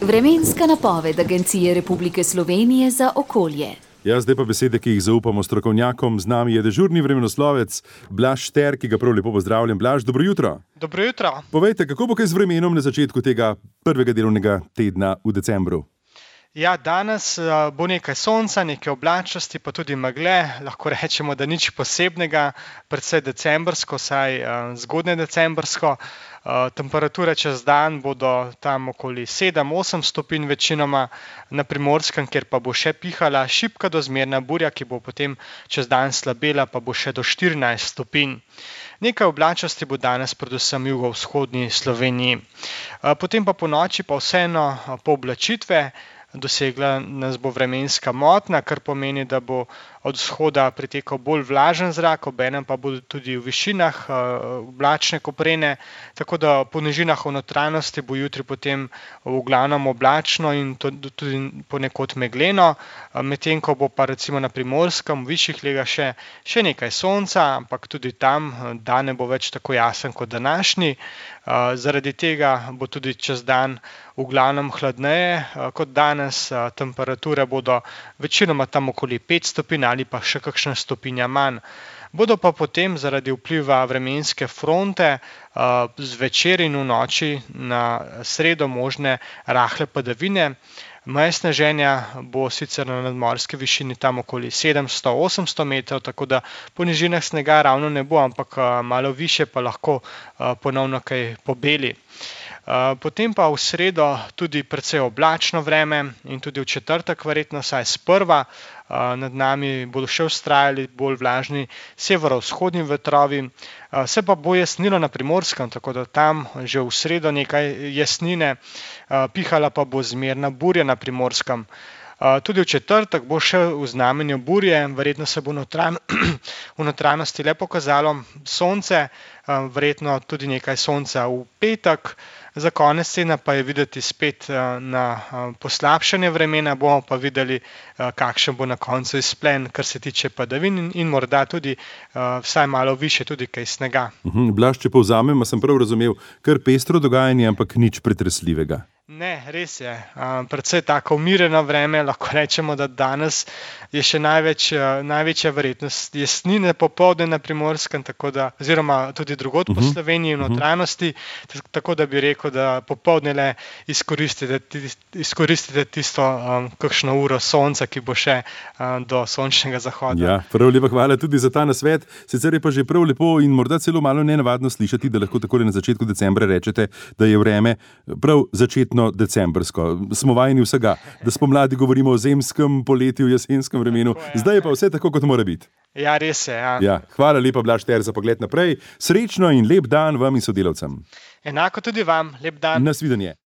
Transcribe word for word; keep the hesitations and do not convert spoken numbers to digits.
Vremenska napoved Agencije Republike Slovenije za okolje. Ja, zdaj pa besede, ki jih zaupamo strokovnjakom. Z nami je dežurni vremenoslovec Blaž Šter, ki ga prav lepo pozdravljam. Blaž, dobro jutro. Dobro jutro. Povejte, kako bo kaj z vremenom na začetku tega prvega delovnega tedna v decembru? Ja, danes bo nekaj sonca, nekaj oblačnosti, pa tudi megle. Lahko rečemo, da nič posebnega, predvsej decembrsko, saj zgodnje decembrsko. Temperature čez dan bodo tam okoli sedem osem stopinj večinoma na Primorskem, kjer pa bo še pihala šibka do zmerna burja, ki bo potem čez dan slabela, pa bo še do štirinajst stopinj. Nekaj oblačnosti bo danes predvsem v jugovzhodni Sloveniji. Potem pa ponoči pa vseeno pooblačitve. Dosegla nas bo vremenska motnja, kar pomeni, da bo od vzhoda pritekal bolj vlažen zrak, obenem pa bodo tudi v višinah oblačne koprene, tako da po nižinah v notranjosti bo jutri potem v glavnem oblačno in tudi ponekod megleno, medtem ko bo pa recimo na Primorskem v višjih legah še, še nekaj sonca, ampak tudi tam dan ne bo več tako jasen kot današnji. Zaradi tega bo tudi čez dan v glavnem hladneje kot danes, temperature bodo večinoma tam okoli pet stopinj ali pa še kakšna stopinja manj. Bodo pa potem zaradi vpliva vremenske fronte zvečer in v noči na sredo možne rahle padavine. Meje sneženja bo sicer na nadmorski višini tam okoli sedemsto do osemsto metrov, tako da po nižinah snega ravno ne bo, ampak malo višje pa lahko ponovno kaj pobeli. Potem pa v sredo tudi precej oblačno vreme in tudi v četrtek verjetno vsaj sprva. Nad nami bodo še vztrajali bolj vlažni severovzhodni vetrovi. Se pa bo jasnilo na Primorskem, tako da tam že v sredo nekaj jasnine, pihala pa bo zmerna burja na Primorskem. Tudi v četrtek bo še v znamenju burje, verjetno se bo v notranjosti le pokazalo sonce, verjetno tudi nekaj sonca v petek. Za konec tedna pa je videti spet na poslabšanje vremena, bomo pa videli, kakšen bo na koncu izplen, kar se tiče padavin in morda tudi vsaj malo višje tudi kaj snega. Blaž, če povzamem, sem prav razumel, kar pestro dogajanje, ampak nič pretresljivega. Ne, res je. Predvsej tako umirjeno vreme, lahko rečemo, da danes je še največ, največja verjetnost jasnine popoldne na Primorskem, tako da, oziroma tudi drugod po Sloveniji v notranjosti, tako da bi rekel, da popoldne le izkoristite, izkoristite tisto kakšno uro sonca, ki bo še do sončnega zahoda. Ja, prav lepa hvala tudi za ta nasvet. Sicer je pa že prav lepo in morda celo malo nenavadno slišati, da lahko takole na začetku decembra rečete, da je vreme prav začetno decembrsko. Smo vajeni vsega, da spomladi govorimo o zemskem, poletju, jesenskem vremenu. Zdaj je pa vse tako, kot mora biti. Ja, res je. Ja. Ja, hvala lepa, Blaž Šter, za pogled naprej. Srečno in lep dan vam in sodelavcem. Enako tudi vam. Lep dan. Nasvidenje.